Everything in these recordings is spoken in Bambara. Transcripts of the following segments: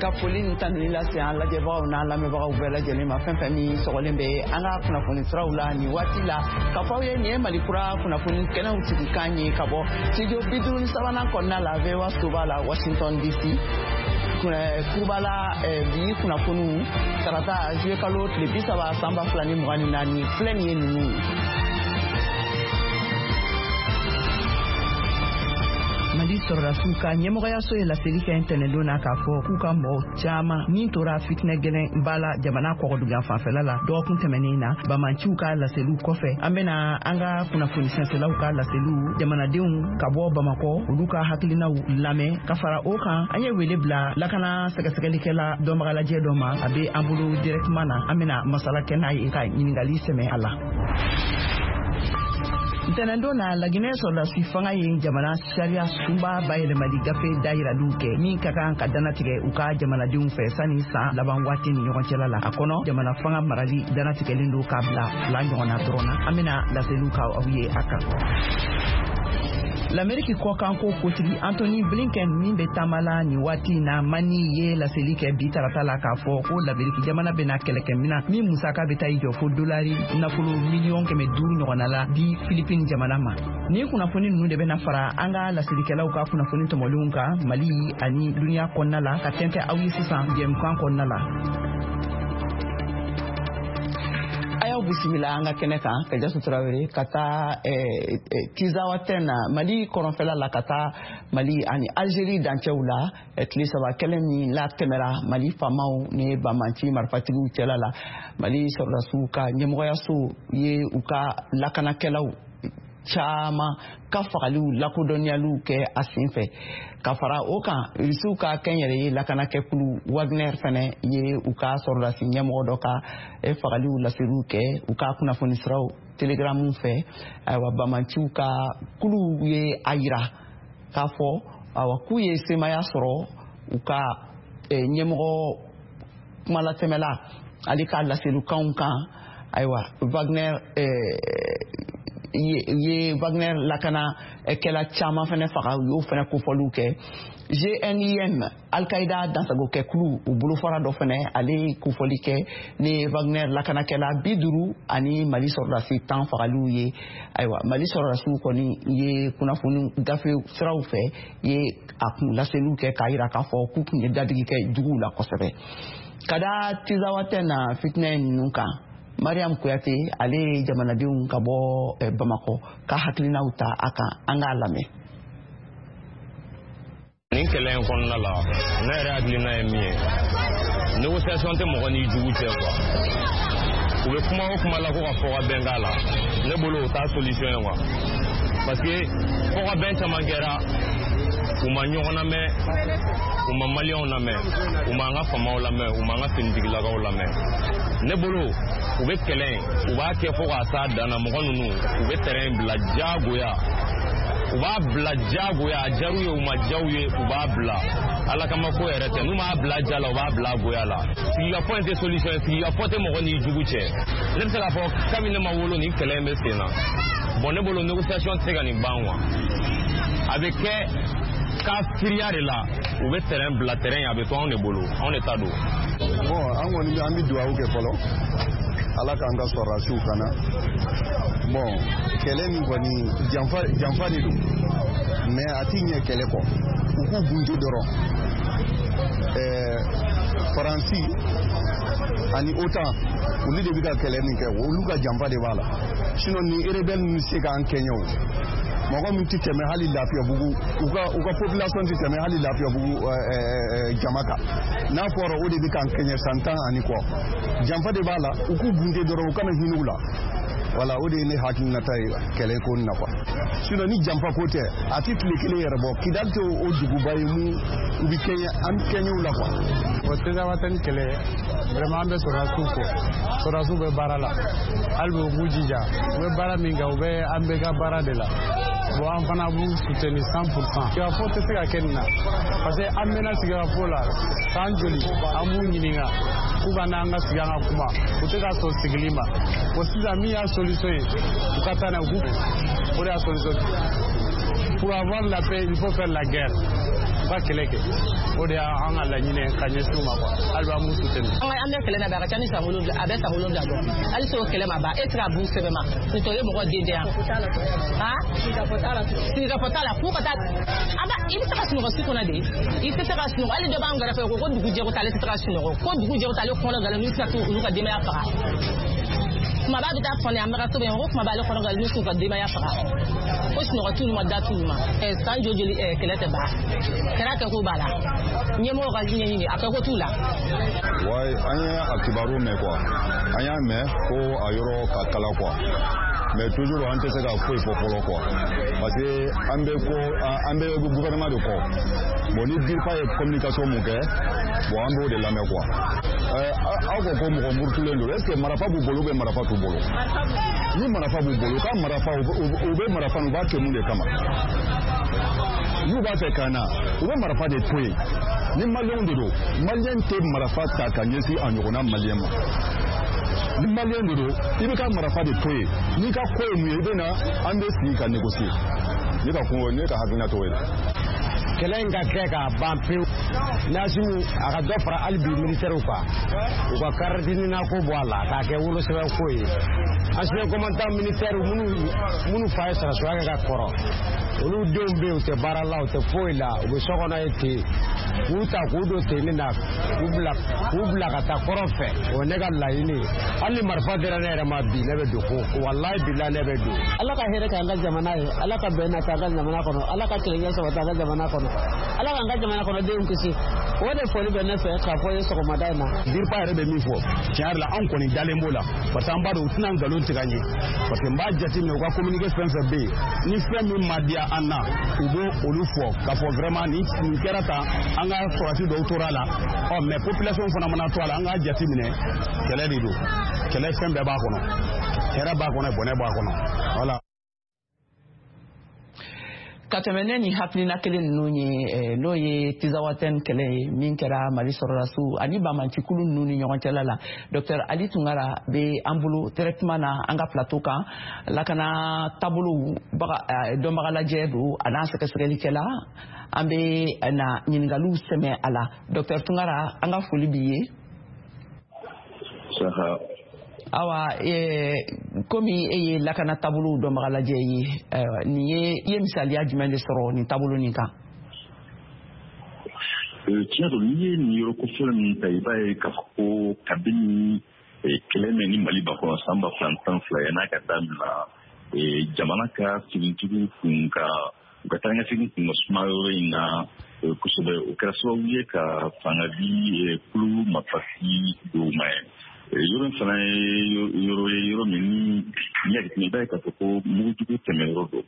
Ka foli ni tanuni lase an lajɛbagaw n'an lamɛnbagaw bɛɛ lajɛlen ma, fɛn fɛn min sɔgɔlen bɛ an ka kunnafoni siraw la nin waati la, ka fɔ aw ye nin ye Mali Kura kunnafoni kɛnɛw sigikan ye ka bɔ studio 53nan kɔnɔna la, VOA soba la, Washington DC kurubala. Bi kunnafoniw, tarata juillet kalo tile 30 san 2024, filɛ nin ye ninnu ye. Mali sɔrɔdasiw ka ɲɛmɔgɔyaso ye laseli kɛ ntɛnɛndon na k'a fɔ k'u ka mɔgɔ caman min tora fitinɛ gɛlɛn ba la jamana kɔgɔdugan fanfɛla la dɔgɔkun tɛmɛnen na. Bamanciw ka laseliw kɔfɛ, an bena an ka kunnafoni sɛnsɛlaw ka laseliw, jamanadenw ka bɔ Bamakɔ, olu ka hakilinaw lamɛn. Ka fara o kan, an ye wele bila lakana sɛgɛsɛgɛlikɛla dɔnbagalajɛ dɔ ma, a be an bolo directement na, an bena masala kɛ n'a ye ka ɲiningali sɛmɛ a la. Ntɛnɛndon na, Laginɛ sɔrɔdasi fanga ye jamana sariya sunba bayɛlɛmali gafe dayiraliw kɛ min ka kan ka danatigɛ u ka jamanadenw fɛ sani san laban waati ni ɲɔgɔn cɛla la. A kɔnɔ, jamana fanga marali danatigɛlen don k'a bila fila ɲɔgɔn na dɔrɔn na. An bena laseliw ka aw ye a kan. Lameriki kɔkanko kotigi Antony Blinken min bɛ taama la nin waati na Mani ye laseli kɛ bi tarata la k'a fɔ ko Lameriki jamana bɛna kɛlɛkɛminan min musaka bɛ taa i jɔ fo dolari nafolo 500 miliyɔn ɲɔgɔnna la di Filipine jamana ma. Nin kunnafoni ninnu de bɛna fara an ka laselikɛlaw ka kunnafoni tɔmɔlenw kan Mali ani duniɲa kɔnɔna la ka tɛntɛ aw ye sisan jɛmukan kɔnɔna la. A y'aw bisimila an ka kɛnɛ kan. Kajasu Tarawele, ka taa Tizawatɛn na, Mali kɔrɔnfɛla la, ka taa Mali ani Algérie dancɛw la, tile 3 kɛlɛ min latɛmɛra Mali faamaw ni banbanci marifatigiw cɛla la, Mali sɔrɔdasiw ka ɲɛmɔgɔyaso ye u ka lakanakɛlaw caman ka fagaliw lakodɔnniyaliw kɛ a sen fɛ. Ka fara o kan, Rusiw ka kɛnyɛrɛye lakanakɛkulu Wagner fɛnɛ ye u ka sɔrɔdasi ɲɛmɔgɔ dɔ ka fagaliw laseliw kɛ u ka kunnafoni siraw Telegramu fɛ. Ayiwa, bamanciw ka kuluw ye a yira k'a fɔ awa k'u ye semaya sɔrɔ u ka ɲɛmɔgɔ kumalatɛmɛla ale ka laselikanw kan. Ayiwa, Wagner ye Wagner lakana kɛla caman fɛnɛ faga, u y'o fɛnɛ kofɔliw kɛ. JNIM, Al-Qaïda dansagokɛkulu, u bolofara dɔ fɛnɛ, ale ye kofɔli kɛ ni Wagner lakanakɛla 50 ani Mali sɔrɔdasi 10 fagaliw ye. Ayiwa, Mali sɔrɔdasiw kɔni ye kunnafoni gafe siraw fɛ ye a kun laseliw kɛ k'a yira k'a fɔ k'u tun ye dadigi kɛ juguw la kosɛbɛ. Ka da Tizawatɛ na fitinɛ ninnu kan, Mariam Kuyate, ale ye jamanadenw ka bɔ Bamakɔ ka hakilinaw ta a kan, an k'a lamɛn. Nin kɛlɛ in kɔnɔna la, ne yɛrɛ hakilina ye min ye, négociation tɛ mɔgɔ n'i jugu cɛ quoi. U bɛ kuma o kuma la ko ka fɔ ka bɛn k'a la, ne bolo o t'a solution ye quoi, parce que fɔ ka bɛn caman kɛra, u ma ɲɔgɔn lamɛn, u ma Maliyɛnw lamɛn, u ma an ka faamaw lamɛn, u ma an ka finitigilakaw lamɛn. Ne bolo, u bɛ kɛlɛ in, u b'a kɛ fo k'a s'a dan na. Mɔgɔ ninnu, u bɛ terrain bila diyagoya, u b'a bila diyagoya. A diyar'u ye, u ma diya u ye, u b'a bila. Ala kama ko yɛrɛ tɛ, n'u m'a bila ja la, u b'a bila goya la. Sigikafɔ in tɛ solution ye, sigikafɔ tɛ mɔgɔ n'i jugu cɛ. Ne bɛ se k'a fɔ kabini ne ma wolo, nin kɛlɛ in bɛ sen na. Bon, ne bolo négociation tɛ se ka nin ban quoi, a bɛ kɛ kafiriya de la. U bɛ terrain bila, terrain a bɛ to anw de bolo, anw de ta don. Bon, an kɔni an bɛ dugawu kɛ fɔlɔ, Ala k'an ka sɔrɔdasiw kana. Bon, kɛlɛ min kɔni, janfa janfa de don, mais a ti ɲɛ kɛlɛ kɔ, u k'u bunte dɔrɔn. Faransi ani OTAN, olu de bɛ ka kɛlɛ nin kɛ, olu ka janfa de b'a la. Sinon ni rebelle ninnu se k'an kɛɲɛ, o mɔgɔ min tɛ tɛmɛ hali Lafiyabugu, u ka population tɛ tɛmɛ hali Lafiyabugu jama kan, n'a fɔra o de bɛ k'an kɛɲɛ san 10 ani kɔ, janfa de b'a la. U k'u bunte dɔrɔn, u kana hinɛ u la. Wala, o de ye ne hakilinata ye kɛlɛ ko nin na quoi. Sinon ni janfa ko tɛ, a tɛ tile kelen yɛrɛ bɔ. Kidali tɛ o duguba ye mun u bɛ kɛɲɛ an kɛɲɛw la quoi. O Tezawatɛni kɛlɛ, vraiment an bɛ sɔrɔdasiw fo, sɔrɔdasiw bɛ baara la hali bi, u k'u jija, u bɛ baara min kɛ, u bɛ an bɛɛ ka baara de la. Bon, an fana b'u soutenir 100%. Sigikafɔ tɛ se ka kɛ nin na, parce que an mɛnna sigikafɔ la san joli, an b'u ɲininka k'u ka n'an ka sigi an ka kuma, u tɛ ka sɔn sigili ma. Bon, sisan min y'a solution ye, u ka taa n'a ye, u k'u o de y'a solution. Pour avoir la paix, il faut faire la guerre. U ka kɛlɛ kɛ, o de y'an ka laɲini ka ɲɛsin u ma quoi. Hali bi an b'u soutenir. An bɛ kɛlɛ na bi, a ka ca ni san 7, a bɛ san 7 bɔ. Hali o kɛlɛ ma ban, e tɛ se ka b'u sɛbɛn ma k'u ye mɔgɔ den yan. Sigikafɔ t'a la k'u ka taa. A ba, i bɛ se ka sunɔgɔ su kɔnɔ de, i tɛ se ka sunɔgɔ. Hali dɔ b'an kɛrɛfɛ ko dugu jɛ ko t'ale tɛ se ka sunɔgɔ, ko dugu jɛ ko t'ale kɔnɔ galen n'u tɛ se k'olu ka denbaya faga. Kumaba bɛ taa fɔni an bɛ ka sɛbɛn ko kumaba ale kɔnɔ galen n'u k'u ka denbaya faga, ko sunɔgɔ t'olu ma, da t'olu ma. San joli kɛlɛ tɛ ban, kɛra kɛ ko b'a la, ɲɛmɔgɔ ka ɲɛɲini a kɛ ko t'u la. Wayi, an ye a kibaru mɛn quoi, an y'a mɛn ko a yɔrɔ ka kala quoi, mais toujours an tɛ se ka foyi fɔ fɔlɔ quoi, parce que an bɛ ko an bɛ gouvernement de kɔ. Bon, ni DIRPA ye communication mun kɛ, bon, an b'o de lamɛn quoi. Aw ko ko mɔgɔ murutulen don, est ce que marifa b'u bolo ou bien marifa t'u bolo? Ni marifa b'u bolo, u ka marifa, u bɛ marifa, u b'a kɛ mun de kama? N'u b'a fɛ ka na, u bɛ marifa de to yen. Ni maliyɛnw de don, maliyɛn tɛ marifa ta ka ɲɛsin a ɲɔgɔnna maliyɛn ma. Ni maliyɛn de don, i bɛ ka marifa de to yen. N'i ka ko ye mun ye, i bɛ na, an bɛ sigi ka négocier. Ne ka kun, ne ka hakilina t'o ye. Kɛlɛ in ka kɛ k'a ban pewu. Nasimu a ka dɔ fara hali bi militaires kan, u ka carte ko bɔ a la k'a kɛ wolosɛbɛn ko ye. Ancien commandant militaire minnu fa ye sarasiya kɛ ka kɔrɔ, olu denw bɛ yen, u tɛ baara la, u tɛ foyi la, u bɛ so kɔnɔ ye ten. K'u ta k'u don tenni na, k'u bila ka taa kɔrɔn fɛ, o ye ne ka laɲini ye. Hali ni marifa dira ne yɛrɛ ma bi, ne bɛ don ko walayi bila, ne bɛ don. Ala ka hɛrɛ k'an ka jamana ye, Ala ka bɛn nata an ka jamana kɔnɔ, Ala ka kelenya sabati an ka jamana kɔnɔ, Ala k'an ka jamana kɔnɔdenw kisi. O de foli bɛ ne fɛ k'a fɔ ye sɔgɔmada in na. DIRPA yɛrɛ bɛ min fɔ, tiɲɛ yɛrɛ la, anw kɔni dalen b'o la, parce que an b'a dɔn u tɛna nkalon tigɛ an ye, parce que n b'a jateminɛ, u ka communiqué fɛn fɛn bɛ yen, ni fɛn min ma diya an na, u b'o olu fɔ k'a fɔ vraiment nin kɛra tan, an ka sɔrɔdasi dɔw tora a la. Ɔ, mais population fana mana to a la, an k'a jateminɛ, kɛlɛ de don, kɛlɛ fɛn bɛɛ b'a kɔnɔ, hɛrɛ b'a kɔnɔ, bɔnɛ b'a kɔnɔ, voilà. Ka tɛmɛ ne ni hakilina kelen ninnu ye, n'o ye Tizawatɛn kɛlɛ ye min kɛra Mali sɔrɔdasiw ani banbaancikulu ninnu ni ɲɔgɔn cɛla la, Docteur Ali Tunkara bɛ an bolo directement na an ka plateau kan. Lakana taabolow dɔnbaga lajɛ don, a n'a sɛgɛsɛgɛlikɛla. An bɛ na ɲininkaliw sɛmɛ a la. Docteur Tunkara, an ka foli b'i ye. Awa, komi e ye lakana taabolow dɔnbaga lajɛ ye, nin ye, i ye misaliya jumɛn de sɔrɔ nin taabolo nin kan? Tiɲɛ don, n'i ye nin yɔrɔ kofɔlɔ min ta, i b'a ye k'a fɔ ko kabini kɛlɛ min ni Mali ba kɔnɔ san 2012, yan'a ka dabila, jamana ka finitigiw kun ka u ka taa kun ka suma yɔrɔ in na kosɛbɛ. O kɛra sababu ye ka fanga di kulu marifatigi dɔw ma ye. Yɔrɔ in fana ye yɔrɔ ye, yɔrɔ min ni n'i y'a jateminɛ, i b'a ye k'a fɔ ko mugujugu tɛmɛyɔrɔ don,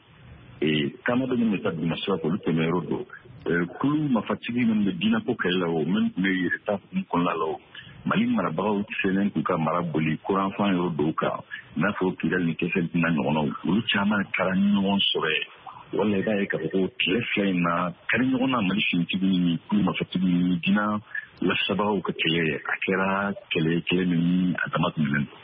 taama dɔ minnu bɛ taa duguma sira fɛ, olu tɛmɛyɔrɔ don. Kulu marifatigi minnu bɛ diinɛko kɛlɛ la, o minnu tun bɛ yɛrɛta hukumu kɔnɔna la, o Mali marabagaw selen k'u ka mara boli kuranfan yɔrɔ dɔw kan, i n'a fɔ Kidali ni Kɛsɛli n'a ɲɔgɔnnaw, olu caman taara ɲɔgɔn sɔrɔ yen. Wala i b'a ye k'a fɔ ko tile 2 in na, kari ɲɔgɔn na, Mali finitigiw ni kulu marifatigiw ni diinɛ lasabagaw ka kɛlɛ, a kɛra kɛlɛ kɛlɛ min ni a dama tɛmɛnen don.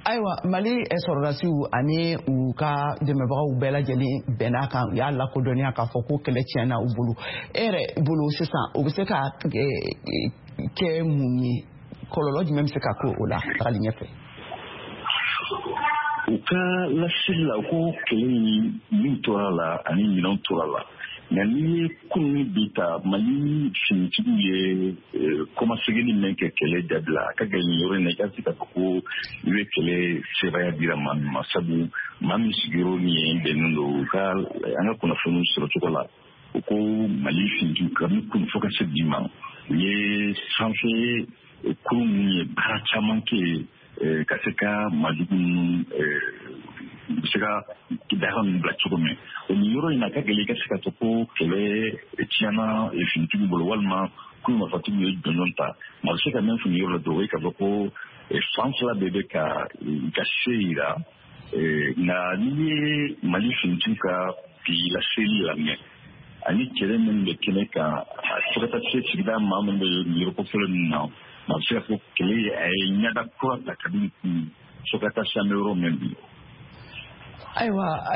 Ayiwa, Mali sɔrɔdasiw ani u ka dɛmɛbagaw bɛɛ lajɛlen bɛn'a kan, u y'a lakodɔnniya k'a fɔ ko kɛlɛ tiɲɛna u bolo. E yɛrɛ bolo sisan, o bɛ se ka kɛ mun ye? Kɔlɔlɔ jumɛn bɛ se ka k'o la tagali ɲɛfɛ? U ka laseli la ko kɛlɛ in min tora la ani minɛnw tora la, nka n'i ye kunun ni bi ta, Mali finitigiw ye kɔmasegin min kɛ kɛlɛ dabila, a ka gɛlɛn yɔrɔ in na i ka se k'a fɔ ko i bɛ kɛlɛ sebaaya dira maa min ma, sabu maa min sigiyɔrɔ ni yen bɛnnen don. U ka an ka kunnafoniw sɔrɔ cogo la, u ko Mali finitigiw kabini kunun fo ka se bi ma, u ye sanfɛ kurun minnu ye baara caman kɛ yen ka se ka maajugu ninnu u bɛ se ka daga ninnu bila cogo min. O nin yɔrɔ in na, a ka gɛlɛn i ka se ka fɔ ko kɛlɛ tiɲɛna finitigiw bolo walima kulu marifatigiw ye jɔnjɔn ta. Maa bɛ se ka min fɔ nin yɔrɔ la dɔrɔn, o ye k'a fɔ ko fan fila bɛɛ bɛ ka i ka se yira. Nka n'i ye Mali finitigiw ka bi laseli lamɛn ani kɛlɛ min bɛ kɛnɛ kan, fo ka taa se sigida maa minnu bɛ nin yɔrɔ kofɔlen ninnu na, maa bɛ se ka fɔ kɛlɛ a ye ɲɛda kura ta kabini kun fo ka taa se an bɛ yɔrɔ min bi. Ayiwa.